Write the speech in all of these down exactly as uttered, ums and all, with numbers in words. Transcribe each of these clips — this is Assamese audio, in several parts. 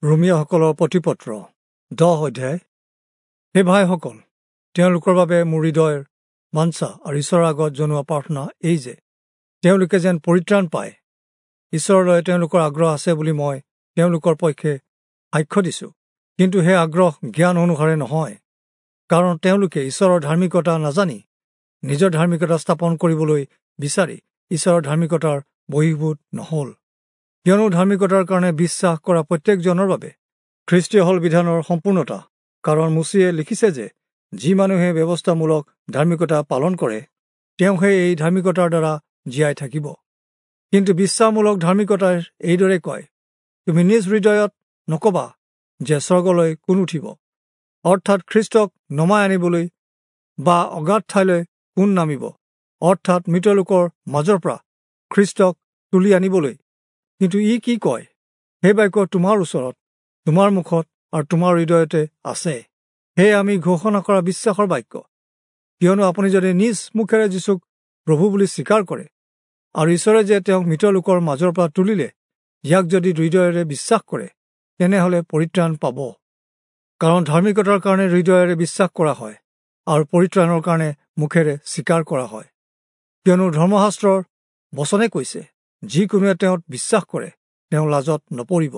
ৰোমীয়াসকলৰ প্ৰতিপত্ৰ দহ অধ্যায়। হে ভাইসকল, তেওঁলোকৰ বাবে মোৰ হৃদয়ৰ বাঞ্ছা আৰু ঈশ্বৰৰ আগত জনোৱা প্ৰাৰ্থনা এই যে তেওঁলোকে যেন পৰিত্ৰাণ পায়। ঈশ্বৰলৈ তেওঁলোকৰ আগ্ৰহ আছে বুলি মই তেওঁলোকৰ পক্ষে সাক্ষ্য দিছোঁ, কিন্তু সেই আগ্ৰহ জ্ঞান অনুসাৰে নহয়, কাৰণ তেওঁলোকে ঈশ্বৰৰ ধাৰ্মিকতা নাজানি নিজৰ ধাৰ্মিকতা স্থাপন কৰিবলৈ বিচাৰি ঈশ্বৰৰ ধাৰ্মিকতাৰ বহিৰ্ভূত নহ'ল। কিয়নো ধাৰ্মিকতাৰ কাৰণে বিশ্বাস কৰা প্ৰত্যেকজনৰ বাবে খ্ৰীষ্টীয় হ'ল বিধানৰ সম্পূৰ্ণতা। কাৰণ মোচিয়ে লিখিছে যে যি মানুহে ব্যৱস্থামূলক ধাৰ্মিকতা পালন কৰে, তেওঁহে এই ধাৰ্মিকতাৰ দ্বাৰা জীয়াই থাকিব। কিন্তু বিশ্বাসমূলক ধাৰ্মিকতাই এইদৰে কয়, তুমি নিজ হৃদয়ত নকবা যে স্বৰ্গলৈ কোন উঠিব, অৰ্থাৎ খ্ৰীষ্টক নমাই আনিবলৈ, বা অগাধ ঠাইলৈ কোন নামিব, অৰ্থাৎ মৃত লোকৰ মাজৰ পৰা খ্ৰীষ্টক তুলি আনিবলৈ। কিন্তু ই কি কয়, সেই বাক্য তোমাৰ ওচৰত, তোমাৰ মুখত আৰু তোমাৰ হৃদয়তে আছে, সেয়ে আমি ঘোষণা কৰা বিশ্বাসৰ বাক্য। কিয়নো আপুনি যদি নিজ মুখেৰে যীচুক প্ৰভু বুলি স্বীকাৰ কৰে আৰু ঈশ্বৰে যে তেওঁক মৃত লোকৰ মাজৰ পৰা তুলিলে ইয়াক যদি হৃদয়েৰে বিশ্বাস কৰে, তেনেহ'লে পৰিত্ৰাণ পাব। কাৰণ ধাৰ্মিকতাৰ কাৰণে হৃদয়েৰে বিশ্বাস কৰা হয় আৰু পৰিত্ৰাণৰ কাৰণে মুখেৰে স্বীকাৰ কৰা হয়। কিয়নো ধৰ্মশাস্ত্ৰৰ বচনে কৈছে, যিকোনোৱে তেওঁত বিশ্বাস কৰে তেওঁ লাজত নপৰিব।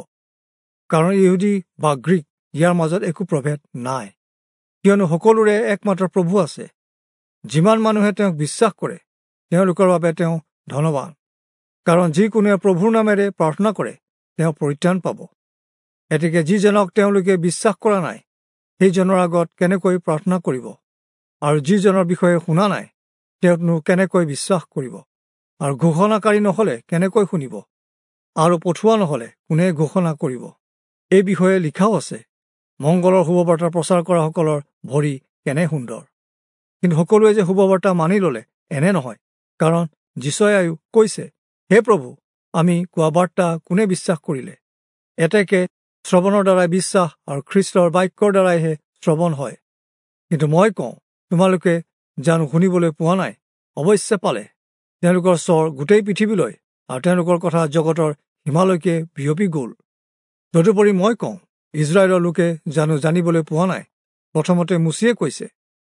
কাৰণ ইহুদী বা গ্ৰীক ইয়াৰ মাজত একো প্ৰভেদ নাই, কিয়নো সকলোৰে একমাত্ৰ প্ৰভু আছে। যিমান মানুহে তেওঁক বিশ্বাস কৰে তেওঁলোকৰ বাবে তেওঁ ধনৱান। কাৰণ যিকোনোৱে প্ৰভুৰ নামেৰে প্ৰাৰ্থনা কৰে তেওঁ পৰিত্ৰাণ পাব। এতেকে যিজনক তেওঁলোকে বিশ্বাস কৰা নাই সেইজনৰ আগত কেনেকৈ প্ৰাৰ্থনা কৰিব, আৰু যিজনৰ বিষয়ে শুনা নাই তেওঁকনো কেনেকৈ বিশ্বাস কৰিব? আৰু ঘোষণাকাৰী নহ'লে কেনেকৈ শুনিব, আৰু পঠোৱা নহ'লে কোনে ঘোষণা কৰিব? এই বিষয়ে লিখাও আছে, মংগলৰ শুভবাৰ্তা প্ৰচাৰ কৰাসকলৰ ভৰি কেনে সুন্দৰ। কিন্তু সকলোৱে যে শুভবাৰ্তা মানি ল'লে এনে নহয়, কাৰণ যিচয়ায়ো কৈছে, হে প্ৰভু, আমি কোৱা বাৰ্তা কোনে বিশ্বাস কৰিলে? এতেকে শ্ৰৱণৰ দ্বাৰাই বিশ্বাস আৰু খ্ৰীষ্টৰ বাক্যৰ দ্বাৰাইহে শ্ৰৱণ হয়। কিন্তু মই কওঁ, তোমালোকে জানো শুনিবলৈ পোৱা নাই? অৱশ্যে পালে। তেওঁলোকৰ স্বৰ গোটেই পৃথিৱীলৈ আৰু তেওঁলোকৰ কথা জগতৰ সীমালৈকে বিয়পি গ'ল। তদুপৰি মই কওঁ, ইজৰাইলৰ লোকে জানো জানিবলৈ পোৱা নাই? প্ৰথমতে মোচিয়ে কৈছে,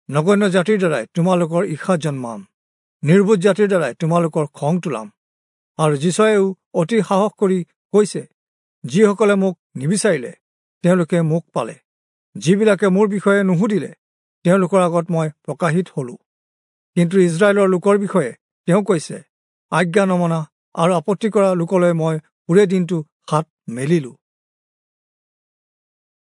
নগণ্য জাতিৰ দ্বাৰাই তোমালোকৰ ঈৰ্ষা জন্মাম, নিৰ্বোধ জাতিৰ দ্বাৰাই তোমালোকৰ খং তোলাম। আৰু যিচয়ায়ো অতি সাহস কৰি কৈছে, যিসকলে মোক নিবিচাৰিলে তেওঁলোকে মোক পালে, যিবিলাকে মোৰ বিষয়ে নুসুধিলে তেওঁলোকৰ আগত মই প্ৰকাশিত হলো। কিন্তু ইজৰাইলৰ লোকৰ বিষয়ে তেওঁ কৈছে, আজ্ঞা নমনা আৰু আপত্তি কৰা লোকলৈ মই ওৰে দিনটো হাত মেলিলো।